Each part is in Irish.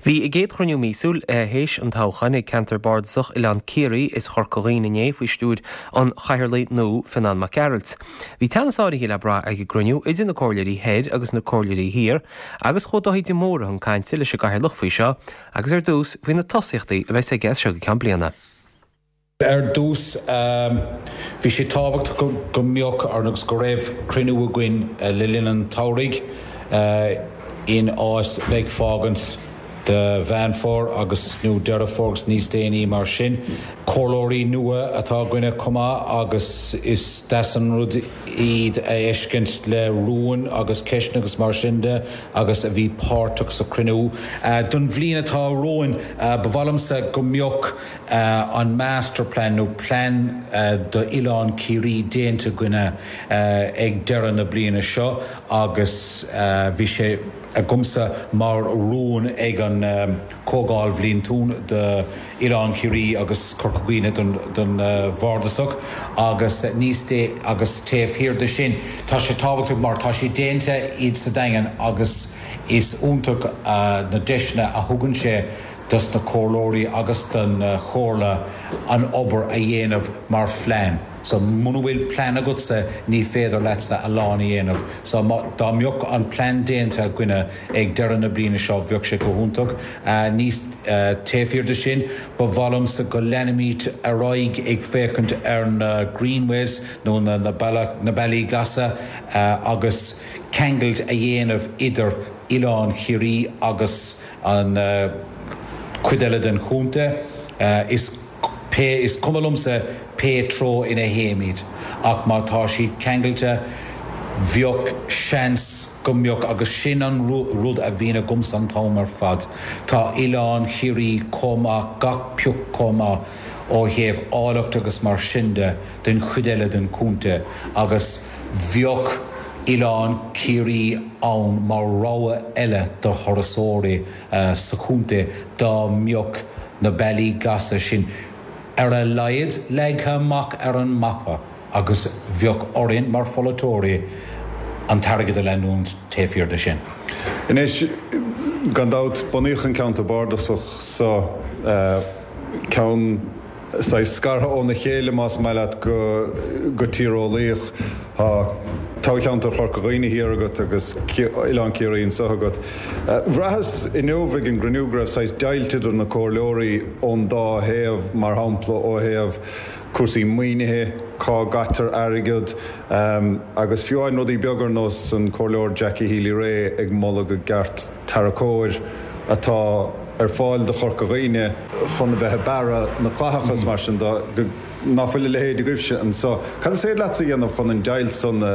Bhí a gcéad chruinniú míosúil théis an toghcháin ag Ceantar Bardasach Oileán Ciarraí is Chorca Dhuibhne inné faoi stiúir an Chathaoirligh nua, Fionán Mac Gearailt. Bhí teannas áirithe le brath ag an gcruinniú idir na comhairleoirí thoir agus na comhairleoirí thiar agus chuaigh Dáithí de Mórdha chun cainte leis an gCathaoirleach faoi seo agus ar dtús faoi na tosaíochtaí a bheas aige as seo go ceann bliana. Ar dtús, bhí sé tábhachtach go mbeadh agus go raibh cruinniú againn le linn an tsamhraidh in áit bheith ag fágaint do Mheán Fómhair agus nó Deireadh Fómhair agus níos déanaí mar sin. Comhairleoirí nua atá againne chomh maith agus is deas an rud iad a fheiscint le rúin agus ceisteanna agus mar sin de agus a bhí páirteach sa chruinniú. Don bhliain atá romhainn, ba mhaith liomsa go mbeadh an master plan nó plean d'Oileán Ciarraí déanta againne ag deireadh na bliana seo agus bhí sé agamsa mar rún ag an Comhdháil Bhliantúil d'Oileán Chiarraí agus Corca Dhuibhne don Bhardasach agus níos agus taobh thiar de sin tá sé tábhachtach mar tá sé déanta iad sa Daingean agus is iontach na deiseanna a thugann sé dos na comhairleoirí agus don chomhairle an obair a dhéanamh mar phlean. So muna bhfuil plean agatsa ní féidir leatsa a lán a dhéanamh. So má, dá mbeadh an plean déanta againne ag deireadh na bliana seo bheadh sé go hiontach. Níos, taobh thiar de sin, ba mhaith liomsa go leanfaimid ar aghaidh ag féachaint ar na greenways nó na, na bealach, na bealaí glasa agus ceangailt a dhéanamh idir Oileán Chiarraí agus an chuid eile den chontae. Is pé, is cuma liomsa pé treo ina théimid, ach má tá siad ceangailte, bheadh seans go mbeadh, agus sin an rud a bhíonn agamsa an t-am ar fad, tá Oileán Chiarraí chomh maith, gach pioc chomh maith ó thaobh áilleacht agus mar sin de, den chuid eile den chontae, agus bheadh Oileán Ciarraí ann mar rogha eile do thurasóirí sa chontae dá mbeadh na bealaí glasa sin ar a laghad leagtha amach ar an mapa agus bheadh orainn mar pholaiteoirí an t-airgead a leanúint taobh thiar de sin. Anois, gan dabht, bunaíodh an ceantar bardasach so, ceann. saghas scartha óna chéile, más maith leat, go tíreolaíoch. Tá toghcheantar Chorca Dhuibhne thiar agat agus Oileán Ciarraí anseo agat. Bhraitheas inniu ag an gcruinniú go raibh saghas deighilt idir na comhairleoirí ón dá thaobh, mar shampla ó thaobh cúrsaí maoinithe, cá gcaitear airgead, agus fiú amháin rudaí beaga ar nós an Comhairleoir Jackie Healy-Rae ag moladh go gceart tarracóir atá ar fáil do Chorca Dhuibhne chun a bheith ag bearradh na clatach is mar sin de, ná fuil a leithéid agaibhse anso. Cad is féidir leatsa a dhéanamh chun an deighilt san a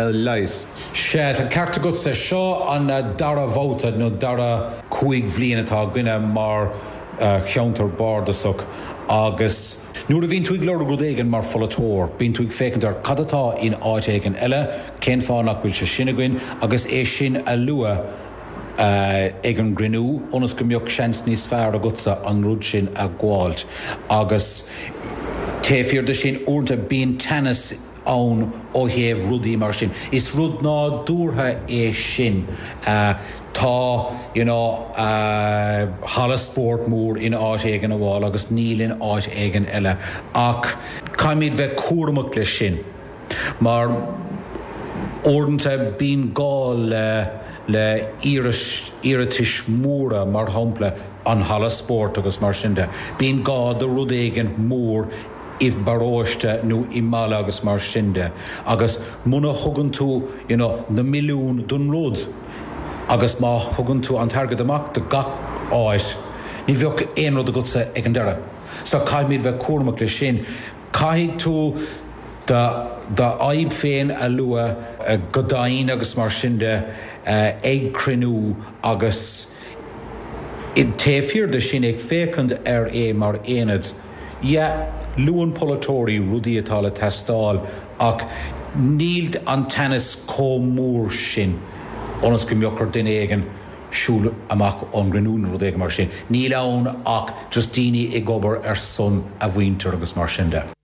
leigheas? Sea, tá an ceart agatsa. Seo an dara babhta nó dara chúig bhliain atá againne mar cheantar bardasach agus nuair a bhíonn tú ag lorg rud éigin mar pholaiteoir, bíonn tú ag féachaint ar cad atá in áit éigin eile, cén fáth nach bhfuil sé sin againn agus é sin a lua ag an gcruinniú ionas go mbeadh seans níos fearr agatsa an rud sin a ghabháilt. Agus taobh thiar de sin, uaireanta bíonn teannas ann ó thaobh rudaí mar sin. Is rud nádúrtha é sin. Tá, you know, halla spóirt mór in áit éigin amháin agus níl in áit éigin eile. Ach caithfimid bheith cúramach leis sin. Mar uaireanta bíonn gá le le iarratais mhóra, mar shampla an halla spóirt agus mar sin de. Bíonn gá do rud éigin mór i bparóiste nó i mbaile agus mar sin de agus muna thugann tú you know na milliúin don rud agus má thugann tú an t-airgead amach do gach áit ní bheadh aon rud agatsa ag an deireadh. So caithfimid bheith cúramach leis sin. Caithfidh tú do d'fhadhb féin a lua go domhain agus mar sin de ag cruinniú agus taobh thiar de sin ag féachaint ar é mar aonad. Yeah, luann polaiteoirí rudaí atá le teastáil ach níl an teannas chomh mór sin ionas go mbeadh ar duine éigin siúl amach ón gcruinniú nó rud éigin mar sin. Níl ann ach just daoine ag obair ar son a mhuintir agus mar sin de.